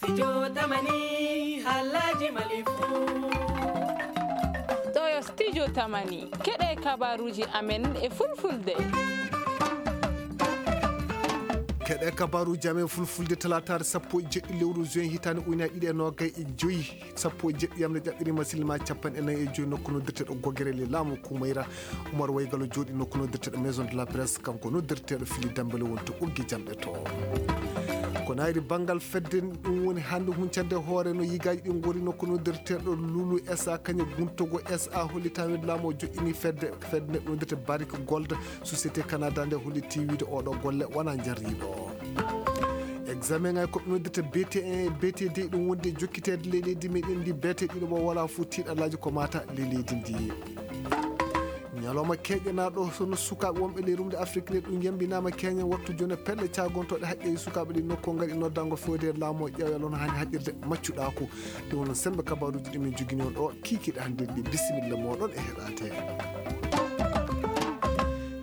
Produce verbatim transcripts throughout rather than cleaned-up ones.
Studio Tamani, halaji Mali fu. Ɗo yo Studio Tamani, keɗe kabaruji amen e fulfulde. Keɗe kabaruji amen fulfulde, talataare sappo e jeɗɗi lewru juin, hitaande ujunaaji ɗiɗi e noogay e joyi, sappo e jeɗɗi yamre ƴaɓɓiri masilma capanɗe nayi e joyi, nokku noddirteeɗo Gogere le laamu Kumayra. Umar Waygalo jooɗi nokku noddirteeɗo Maison de la Presse, kanko noddirteeɗo Fili Dembele woni to Ɓoggi Jamɓe to. Ko nayri banngal fedde ɗum woni hannde huncande hoore no yigaaji ɗi ngori nokku noddirteeɗo Lulu S A kañe Guntogo S A holli tawi laamu o joƴƴini fedde, fedde nde noddirte Barrick Gold, société Canada nde holli tiiwiide oɗo golle wona jarriiɗo. Examen ay ko noddirte B T un e B T deux ɗum wonde jokkiteede ley leydi meɗen ndi, B T ɗiɗo mo wala fof tiiɗalaaji ko mata ley leydi ndi. Ñalawma keeƴanaaɗo, sono sukaaɓe wonɓe ley rumde Afrik nde ɗum yambinaama keeñen wattu jooni pelle caagontooɗe haqqeeji sukaaɓe ɗi nokku ngari noddango fewde laamu o ƴeewa lono hani haqqirde maccuɗaaku. Ɗum woni sembe kabaruuji ɗi min jogini on ɗo kiikiiɗe hannde ɗi. Bisimilla mooɗon e heɗaade.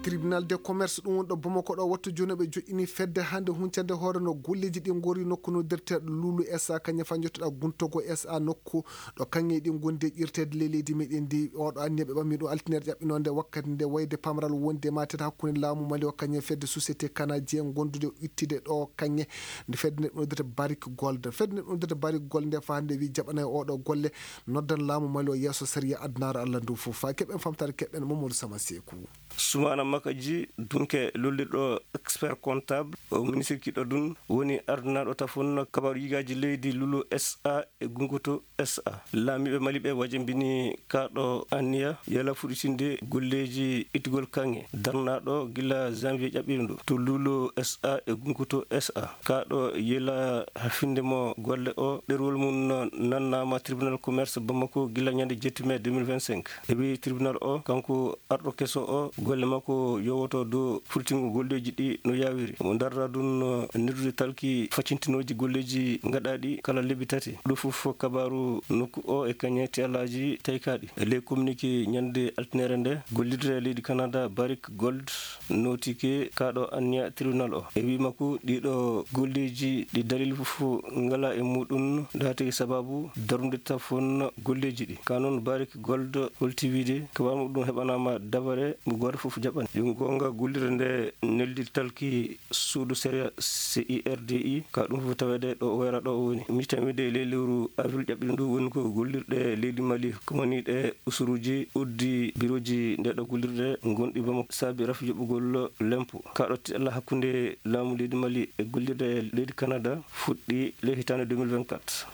Tribunal de commerce ɗum woni ɗo Bamako ɗo wattu jooni ɓe joƴƴini fedde hannde huncande hoore no golleeji ɗi ngori nokku no derteeɗo Lulu S A kañum fa jottoɗa Guntogo S A nokku ɗo kaŋŋe ɗi ngondi e ƴirteede ley leydi meɗen ndi. Oɗo anniya ɓe ɓammi ɗum altine ƴaɓɓinonde wakkati nde wayde pamral wonde e matet hakkunde laamu Mali o kañum e fedde société canadien gondude ittude ɗo kaŋŋe nde fedde nde ɗum noddata Barrick Gold. Fedde nde ɗum noddata Barrick Gold nde fa hannde wi jaɓanay oɗo golle noddan laamu Mali o yeeso sariya adunaaru Allah ndu fof. Fa keɓen famtare keɓen Mamadou Sama Seeku. Sumana Makaji Dunke lollirɗo expert comptable o ministre kiɗo ɗum woni ardinaaɗo tafon kabaru yigaaji leydi Lulu S A e Gungutu S A. Laamiiɓe Mali ɓe wajambini kaaɗo anniya yala fuɗɗitinde golleeji ittugol kaŋŋe darnaaɗo gila janvier ƴaɓɓiiɗo ndu to Lulu S A e Gungutu S A. Kaaɗo yela hafinde mo golle o ɗerwol mum nannaama tribunal commerce Bamako gila ñande jetti mai deux mille vingt-cinq. E wi tribunal o kanko arɗo keso o golle makko yowoto dow furtingol golleeji ɗi no yawiri. Omo darra ɗum no nirdude talki faccintinooji golleeji gaɗaaɗi kala lebbi tati. Ɗo fof kabaru nokku o e kañe tiyalaaji taykaaɗi. E ley communiqué ñande altinere nde, gollirde leydi Canada Barrick Gold notike kaaɗo anniya tribunal o. E wi makko ɗiɗo golleeji ɗi dalil fof ngala e muɗum, ɗum tagi sababu darnude tafon golleeji ɗi. Ka noon Barrick Gold holti wiide ko wano ɗum heɓanaama dabare mo gooto fof jaɓani. Yo goonga gollirde nde neldi talki suudu sariya C I R D I, ka ɗum fof taweede ɗo o wayra ɗo o woni. Mitan wiide e ley lewru avril ƴaɓɓiɗo ndu woni ko gollirɗe leydi Mali, ko woni ɗe usuruuji uddi birooji nde ɗo gollirɗe gonɗi Bamako saabi rafi yoɓugol lempo. Ka ɗo tiɗalla hakkunde laamu leydi Mali e gollirɗe leydi Canada fuɗɗi ley hitaande deux mille vingt-quatre.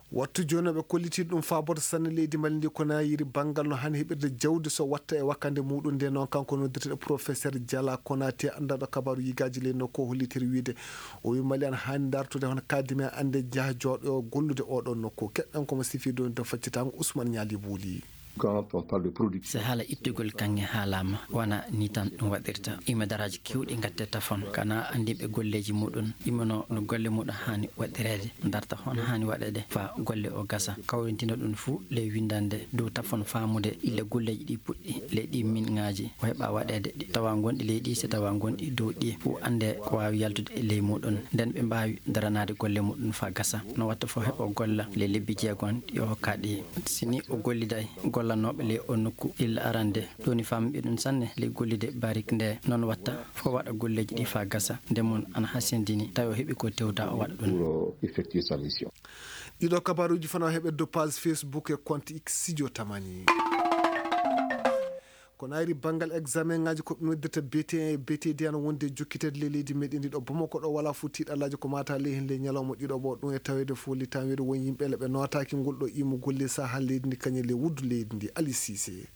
Wattu jooni ɓe kolliti ɗum faaboto sanne leydi Mali ndi ko na yiri banngal no hani heɓirde jawdi so watta e wakkande muɗum nde noon kanko noddirteɗo professeur Diala Konaté anndaɗo kabaru yigaaji ley nokku o hollitiri wiide o wi Mali an hani dartude hono kadime ande jaha jooɗo gollude oɗo nokku. Keɗɗen komo sifi ɗum to faccitango Ousmane Ñaali Buuli. Quand on parle de production. So haala ittugol kaŋŋe haalaama, wona ni tan ɗum waɗirta. Ima daraaji kewɗi ngatte tafon, kana anndiiɓe golleeji muɗum, imano no golle muɗum haani waɗireede, darta hon haani waɗeede faa golle o gasa. Kawrintina ɗum fuu ley winndannde dow tafon faamude ille golleeji ɗi puɗɗi ley ɗi min ŋaaji o heɓa waɗeede, tawa ngonɗi ley ɗi, so tawa ngonɗi dow ɗi, fuu annde ko waawi yaltude e ley muɗum. Nden ɓe mbaawi daranaade golle muɗum faa gasa. No watta fof heɓa golla ley lebbi jeegom ɗi o hokkaa ɗi. Si ni o golliday gollanooɓe ley o nokku illa arande, ɗoni famɗi ɗum sanne ley gollude barik nde. Noon watta fof waɗa golleeji ɗi faa gasa. Nde mum ana hasindini, tawi o heɓi ko tewda o waɗa ɗum. Pour, euh, effectuer sa mission. Ɗiɗo kabaruuji fana o heɓe dow page Facebook e compte X Studio Tamani. Ko nayri banngal examen ŋaaji ko ɓe noddirta B T un e B T deux ana wonde jokkiteede ley leydi meɗen ndi ɗo Bamako ɗo wala fof tiiɗalaaji ko mata ley heen ley ñalawma ɗiɗo ɓo ɗum e taweede fof li tan wiide won yimɓe le ɓe nootaaki ngol ɗo imugol ley saha leydi ndi kañum ley wuddu leydi ndi Ali Cissé.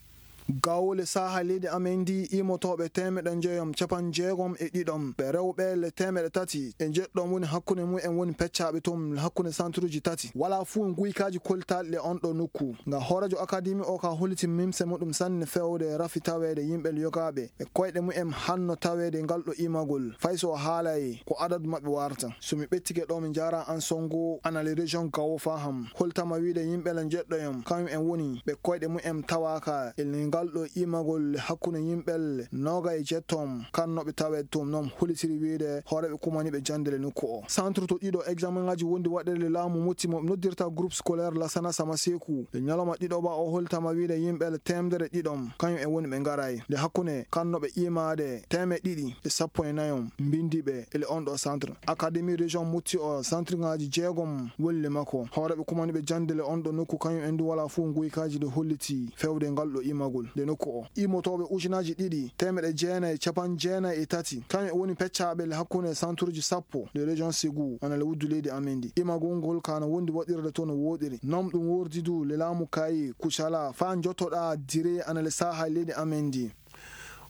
Gawle saha leydi amen ndi imotooɓe teemeɗe njoyom capanɗe jeegom e ɗiɗom ɓe rewɓe le teemeɗe tati e jeɗɗom woni hakkunde mum en woni peccaaɓe toon hakkunde santuruuji tati. Wala fuu nguykaaji koltaaɗi le on ɗo nokku. Nga hooreejo akademi o ka holliti mimse muɗum sanne fewde rafi taweede yimɓe yogaaɓe e koyɗe mumen hanno taweede ngal ɗo imagol. Fay so o haalay ko adadu maɓɓe warta. So mi ɓettike ɗo mi jaara an songo ana le région Gawo Faham. Holtama wiide yimɓe la jeɗɗoyam kañum en woni ɓe koyɗe mumen tawaaka e Ngal ɗo iimagol hakkunde yimɓe noogay e jeetto, kannooɓe taweede toon noon, hollitiri wiyde hooreeɓe kumaniiɓe jannde le nokku o. Centre to ɗiɗo examen ŋaaji wondi waɗeede le laamu mutti mo ɓe noddirta groupe scolaire Lassana Samaseku, e ñalawma ɗiɗo ba o hollitama wiyde yimɓe teemedere ɗiɗo, kañum e woni ɓe ngaraay. Nde hakkunde kannooɓe iimaade teemeɗɗe ɗiɗi e sappo e nayo mbindi ɓe ele on ɗo centre. Académie région mutti o, centre ŋaaji jeegom woni le makko. Hooreeɓe kumaniiɓe jannde le on ɗo nokku, kañum en du wala fof nguykaaji ɗo holliti fewde ngal ɗo iimagol nde nokku o. Iimotooɓe ujunaaji ɗiɗi teemeɗɗe jeenayi e capanɗe jeenayi e tati, kañum e woni peccaaɓe le hakkunde centreji sappo ɗe région Ségou, ana le wuddu leydi amen ndi. Iimagol ngol kaana wondi waɗirde to no wooɗiri. Noon ɗum woordi du le laamu kayi Kucala faa njottoɗaa dire ana le saaha leydi amen ndi.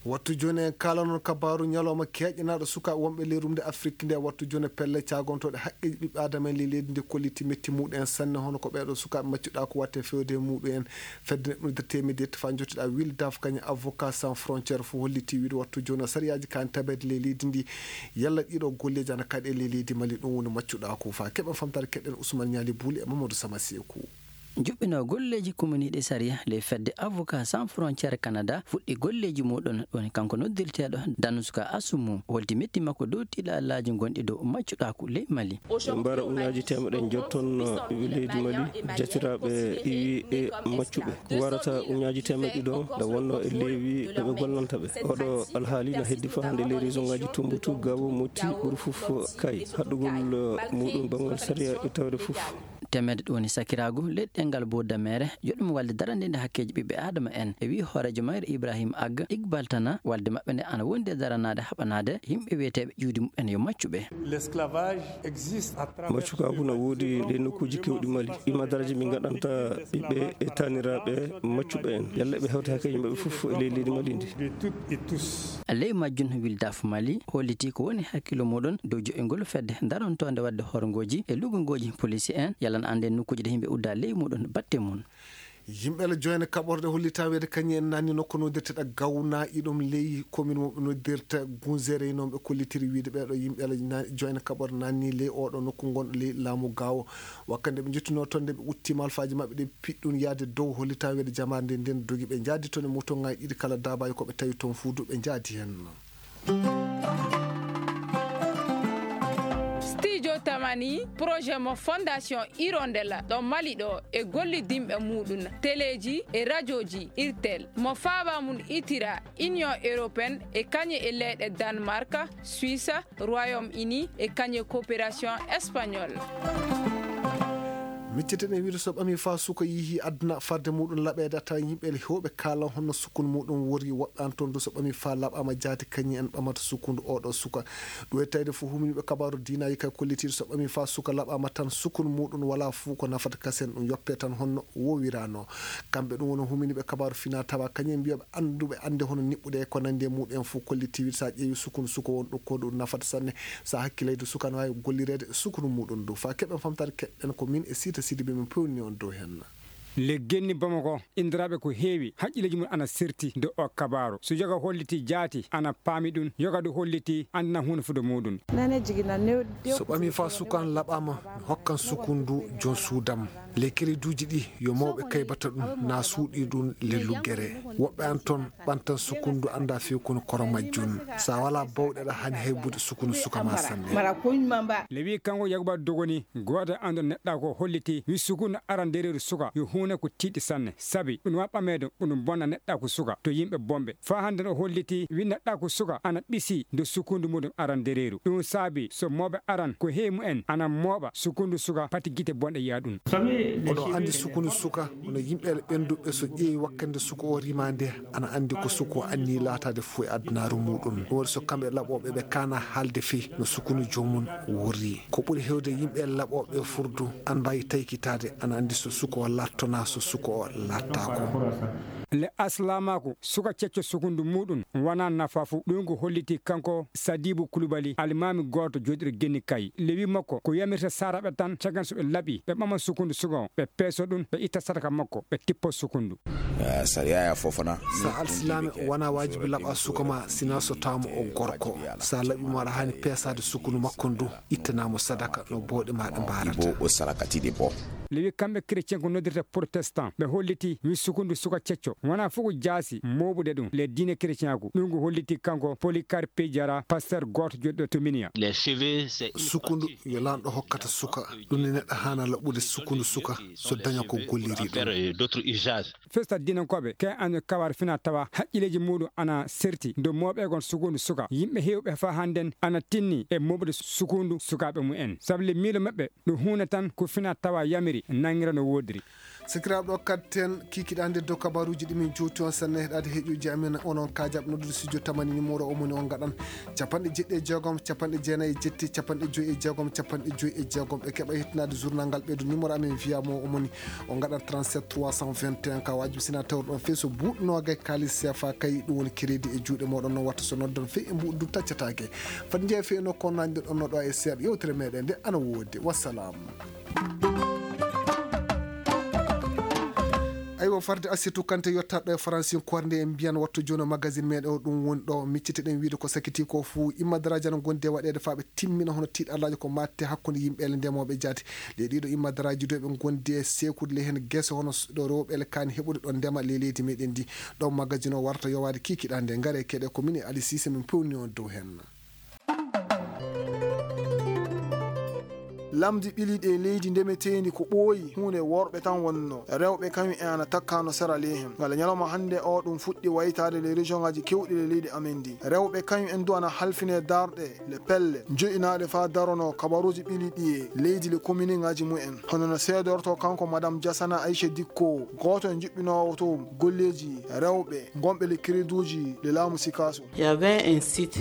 Wattu jooni en kaalano kabaaru ñalawma keeƴanaaɗo sukaaɓe wonɓe ley rumde Afrik nde. Wattu jooni pelle caagontooɗe haqqeeji ɓiɓɓe Aadama en ley leydi ndi kolliti metti muɗum en sanne, hono ko ɓeeɗo sukaaɓe maccuɗaaku waɗte fewde e muɗum en. Fedde neɗɗo nder teemedde yetti faa njottiɗaa Wildaf kañum Avocat Sans Frontière fof holliti wiyde wattu jooni sariyaaji kaani tabeede ley leydi ndi. Yalla ɗiɗo golleeji ana kaɗe ley leydi Mali, ɗum woni maccuɗaaku. Faa keɓen famtaade keɗen Ousmane Ñaali Buuli e Mamadou Sama Seeku. Juɓɓinoo golleeji kumaniiɗi sariya ley fedde Avocats Sans Frontières Canada fuɗɗi golleeji muuɗum, woni kanko noddirteeɗo Danuska Assoumou holti metti makko dow tiiɗalaaji gonɗi dow maccuɗaaku ley Mali. Ɓe mbara ujunnaaji teemedde jotton leydi Mali, jatiraaɓe iwi e maccuɓe. Warata ujunnaaji teemedde ɗiɗo nde wonnoo e leewi ɓe ɓe gollanta ɓe. Oɗo alhaali no heddi faa hannde ley région ŋaaji Tumbatu, Gao, Moti, ɓuri fof Kay. Haɗɗugol muuɗum banngal sariya e tawde fof. Teemedde ɗum woni sakiraagu ley ɗemngal Bordamere, yo ɗum walde daraniinde hakkeeji ɓiɓɓe Aadama en, e wi'i hooreejo mayre Ibrahim Ag, Iqbal Tana, walde maɓɓe nde ana wondi e daranaade haɓanaade yimɓe wiyeteeɓe ƴiwdi muɓɓen yo maccuɓe. L'esclavage existe à travers Maccukaagu na woodi ley nokkuuji keewɗi Mali. Ɗi ma daraaji min ngaɗanta ɓiɓɓe e taaniraaɓe maccuɓe en. Yalla ɓe hewta hakkeeji maɓɓe fof e ley leydi Mali ndi. De toutes et tous. Ley majjum, Wildaf Mali hollitii ko woni hakkillo muuɗum dow jo'ingol fedde darontoonde waɗde horngooji e lugungooji poliisi en, yalla na annde nokkuuji ɗe yimɓe udda ley muuɗum batte mum. Yimɓe la joyne kaɓorɗe hollitaa wiyde kañum en naanni nokku noddirteɗo Gawna, iɗum ley commune mo ɓe noddirta Gunzere, noon ɓe kollitiri wiyde ɓeeɗo yimɓe la na-, joyne kaɓorɗe naanni ley oɗo nokku ngonɗo ley laamu Gaawo. Wakkati nde ɓe njottinoo toon nde ɓe utti malfaaji maɓɓe ɗe piɗɗun yaade dow hollitaa wiyde jamaare nde nden dogi ɓe njaadi toon e moto ŋaaji ɗiɗi kala daabaaji ko ɓe tawi toon fuudu ɓe njaadi heen. Studio Tamani, projet mo Fondation Hirondella ɗo Mali ɗo e gollidinɓe muuɗum, teleeji e rajooji Irtel, mo faaba mum itira Union Européenne e kañum e leyɗe Danemark, Suisse, Royaume-Uni e kañum e coopération espagnole. Micceten e wiyde so ɓamii faa suka yehii aduna fadde muuɗum laɓeede, a tawa yimɓe heewɓe kaala honno sukkundu muuɗum wori. Woɓɓe an toon du so ɓamii faa laɓaama jaati kañum en ɓamata sukkundu oɗo suka. Ɗum e tawde fof huminiiɓe kabaaru diinaaji kay kollitiiɗo so ɓamii faa suka laɓaama tan sukkundu muuɗum walaa fof ko nafata kasen ɗum yoppee tan honno wowiraano. Kamɓe ɗum woni huminiiɓe kabaaru finaa tawa kañum en mbiyooɓe annduɓe annde hono niɓɓude e ko nanndi e muuɗum en fof kolliti wiyde so a ƴeewi sukkundu suka won ɗo ko ɗum nafata sanne. So a hakkilayde suka ana waawi gollireede sukkundu muuɗum du. Faa keɓen famtaade keɗɗen ko min e Siita Sidibe min pewni on dow heen. Le genni Bamako inndiraaɓe ko heewi haqqilleeji mum ana serti dow o kabaaru. So yoga holliti jaati ana paami ɗum, yoga du holliti anndinan huunde fuɗo muuɗum. So ɓamii faa suka an laɓaama, mi hokkan sukkundu joom suudam. Le keleduuji ɗi yo mawɓe kaybata ɗum na suuɗi ɗum le luggere. Woɓɓe an toon ɓantan sukkundu annda few kono koro majjun. So a walaa bawɗe aɗa haani haybude sukkundu suka ma sanne. Le wi kanko Yakuba Dogoni, gooto e annduɗo neɗɗaaku o holliti, wi sukkundu arandeereeru suka yo huunde ko tiiɗi sanne. Sabi ɗum wa ɓameede, ɗum bonna neɗɗaaku suka to yimɓe bonɓe. Faa hannde o holliti, wi neɗɗaaku suka ana ɓisi nde sukkundu muuɗum arandeereeru. Ɗum saabi so mooɓe aran ko heewi mumen ana mooɓa sukkundu suka, pati gite bonɗe yiya ɗum. Oɗo anndi sukkundu suka, hono yimɓe ɓennduɓe so ƴeewi wakkande suka o rima nde, ana anndi ko suka o anni laataade fof e adunaaru muuɗum. Ɗum waɗi so kamɓe laɓooɓe ɓe kaana haalde fii no sukkundu joomum worri. Ko ɓuri heewde yimɓe laɓooɓe furdu ana mbaawi taykitaade, ana anndi so suka o laattonaa, so suka o laattaako. Le aslaamaaku suka cecco sukkundu muuɗum wonaa nafaa fu. Ɗum ko holliti kanko Sadibu Kulubali, almaami gooto jooɗiiɗo Genni Kay. Le wi makko ko yamirta saaraaɓe tan, caggal so ɓe laɓi, ɓe ɓama sukkundu suka o, ɓe peeso ɗum, ɓe itta sadaka makko, ɓe tippo sukkundu. Eh, sariya ya fofana. So a alsilaame, wonaa waajibi laɓa suka ma, sinaa so tawaama o gorko. So a laɓii mo, aɗa haani peesaade sukkundu makko ndu, ittanaa mo sadaka no bawɗe maaɗa mbaarata. Ibo o sarakati ɗi bo. le wi kamɓe chrétien ko noddirta protestant, ɓe holliti wi sukundu suka cecco wona fof ko jaasi mooɓude ɗum le diine chrétienku. Ɗum ko holliti kanko Polycarpe Diarra, pasteur gooto joɗɗo to Minia. Sukundu yo lanɗo hokkata suka, ɗum ne neɗɗo haana laɓɓude sukundu suka so daña ko golliri ɗum. Festa diinankooɓe ke an kawar fina tawa haqqilleeji muɗum ana serti dow mooɓeegon sukundu suka. Yimɓe heewɓe faa hannden ana tinni e mooɓude sukundu sukaaɓe mum en. Sabu le miilo maɓɓe ɗum huunde tan ko fina tawa yamiri nanngira no woodiri. Sikiraaɓe ɗo kadten kikiɗande dow kabaruuji ɗi min jowti on sanne heɗaade heƴuuji amen onon kaajaɓe noddude studio tamani numéro o moni on ngaɗan capanɗe jeɗɗi e jeegom capanɗe jeenayi e jetti capanɗe joyi e jeegom capanɗe joyi e jeegom ɓe keɓa hettinaade journal ngal ɓeydo numéro amen wiyamo o moni o ngaɗa trente-sept trois cent vingt et un ka wajibi sina tawruɗon fii so buuɗ noogay kaalis seefa kay ɗum woni crédit e juuɗe moɗon noon watta so noddan fii e mbuuɗ du taccataake. Fati jeeya fii e nokku on nanɗirɗon no ɗo e seeɗa yewtere meɗen nde ana woodi. Wassalam. Aywa farde assitu kante yottaɗo e faransin kornde en mbiyan wattu jono magazine meɗen o ɗum woni ɗo micciteɗen wiide ko sakiti ko fuu immadaraaji ana gondi e waɗeede faa ɓe timmina hono tiiɗallaaji ko matte hakkunde yimɓe ele ndemooɓe jaati. Ɗe ɗiɗo immadaraaji dow ɓe gondi e sekude le heen gese hono ɗo rewɓe ele kaani heɓude ɗo ndema le leydi meɗen ndi. Ɗo magazine o warata yowaade kikiɗande ngare keɗe ko min e Ali Sise min pewni on dow heen. Lamdi ɓili ɗe leydi ndemeteendi ko ɓooyi huunde worɓe tan wonno. Rewɓe kañum en ana takkano sera ley hen. Ngala ñalawma hannde o ɗum fuɗɗi waytaade le région ngaji kewɗi le leydi amen ndi. Rewɓe kañum en du ana halfine darɗe le pelle joƴinaaɗe faa darono kabaruuji ɓili ɗi e leydi le commune ngaji mumen. Hono no seedorto kanko Madame Diasana Aisha Dikko, gooto e juɓɓinoowo to golleeji rewɓe gonɓe le créduuji le laamu Sikaso.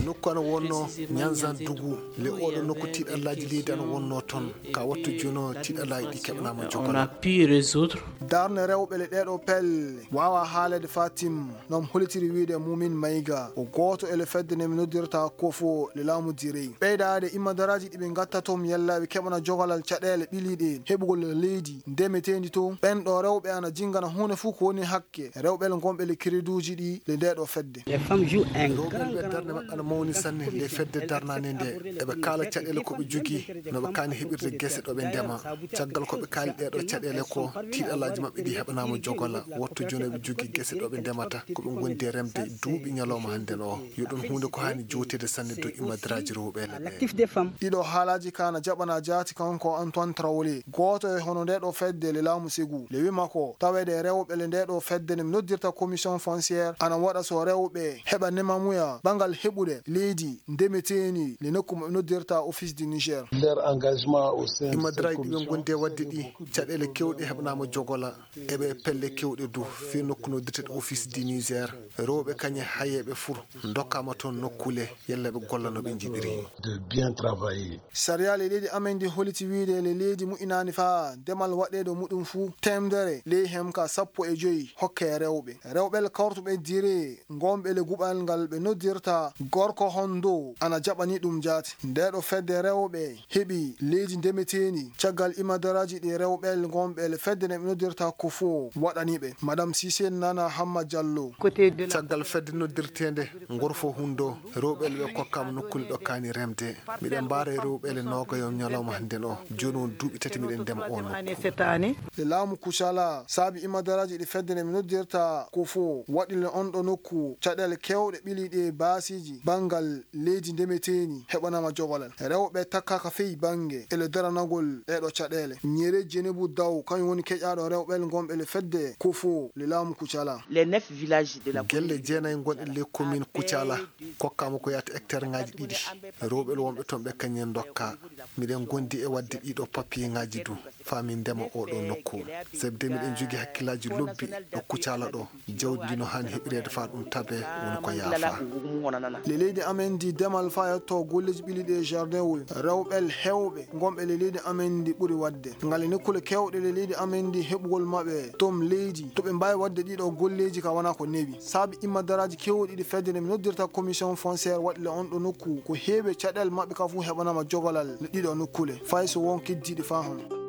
Nokku ana wonno Nyanzan Dugu. Le oɗo nokku tiiɗallaaji leydi ana wonno ton. Ka wattu jono tiiɗallaaji ɗi keɓanaama jogola. Darne rewɓe le ɗeɗo pelle wawa haalede fatim nom holitiri wiide Mumin Mayga o gooto e le fedde nde mi noddirta kofo le laamu direy. Ɓeydaade immadaraaji ɗi ɓe ngatta tom yalla ɓe keɓana jogolal caɗeele ɓiliiɗe heɓugol leydi ndemeteendi to. Ɓen ɗo rewɓe ana jingana huunde fof ko woni hakke rewɓe le gonɓe le créduuji ɗi le nde ɗo fedde. Rewɓe ɓe darnde maɓɓe ana mawni sanne le fedde darnande nde. Eɓe kaala caɗeele ko ɓe jogii, no ɓe kaani heɓirde gese ɗo ɓe ndema. Caggal ko ɓe kaali ɗee ɗo caɗeele ko, tiiɗalaaji maɓɓe ɗi heɓanaama jogola. Wotto jooni eɓe jogii gese ɗo ɓe ndemata, ko ɓe ngondi e remde duuɓi ñalawma hannden o. Yo ɗum huunde ko haani jowteede sanne dow immadaraaji rewɓe le ɓe. Ɗiɗo haalaaji ka na jaɓana jaati kanko Antoine Traoré, gooto e hono nde ɗo fedde le laamu Ségou. Le wi makko, taweede rewɓe le nde ɗo fedde nde mi noddirta commission foncière, ana waɗa so rewɓe heɓa nemamuya ɓangal heɓude leydi ndemeteeni le nokku mo ɓe noddirta Office du Niger. Immadaraaji ɗi ɓe ngondi e waɗde ɗi, caɗeele kewɗe heɓanaama jogola, eɓe e pelle kewɗe du, fii nokku noddirteeɗo Office du Niger. Rewɓe kañe hayeeɓe fur, ndokkaama toon nokkule, yalla ɓe golla no ɓe njiɗiri. Sariya le leydi amen ndi holiti wiide le leydi mu'inaani faa demal waɗeede muɗum fuu, teemedere ley hem ka sappo e joyi hokke rewɓe. Rewɓe le kawruɓe dire ngonɓe le guɓal ngal ɓe noddirta gorko hondo ana jaɓani ɗum jaati. Nde ɗo fedde rewɓe heɓi leydi ndemeteendi caggal imadaraaji ɗi rewɓe le ngonɓe le fedde nde ɓe noddirta ko fo waɗani ɓe. Madame Cissé Nana Hamma Diallo. Caggal fedde noddirteende Ngorfo Hundo, rewɓe le ɓe kokkaama nokkuule ɗo kaani remde. Miɗen mbaara e rewɓe le noogayo ñalawma hannden o. Jooni won duuɓi tati miɗen ndema o nokku. Le laamu Kucala saabi imadaraaji ɗi fedde nde mi noddirta ko fo waɗi le on ɗo nokku caɗeele kewɗe ɓili ɗi e baasiiji banngal leydi ndemeteeni heɓanaama jogolal. Rewɓe takkaaka fey bannge e le daranagol ɗee ɗo caɗeele. Ñeere Jenebu Daw kañum woni keƴaaɗo rewɓe le ngonɓe le fedde ko fo le laamu Kucala. Gelle jeenayi gonɗe le commune Kucala kokkaama ko yaata hectare ngaji ɗiɗi. Rewɓe le wonɓe toon ɓe kañum en ndokka. Miɗen ngondi e waɗde ɗiɗo papier ngaji du. Faa min ndema oo ɗoo nokku. Sabi de miɗen jogii hakkillaaji lobbi ɗo Kucala ɗo. Jawdi ndi no haani heɓireede faa ɗum tabee woni ko yaafaa. Le leydi amen ndi demal faa yetto golleeji ɓili ɗi e jardin wol. Rewɓe heewɓe ngonɓe le leydi amen ndi ɓuri waɗde. Ngale nokkule keewɗe le leydi amen ndi heɓugol maɓɓe tom leydi to ɓe mbaawi waɗde ɗiɗo golleeji ka wonaa ko newi. Saabi immadaraaji keewɗi ɗi fedde nde mi noddirta commission foncière waɗi le on ɗo nokku ko heewi caɗeele maɓɓe ka fuu heɓanaama jogolal le ɗiɗo nokkule. Fay so won keddiiɗi faa hono.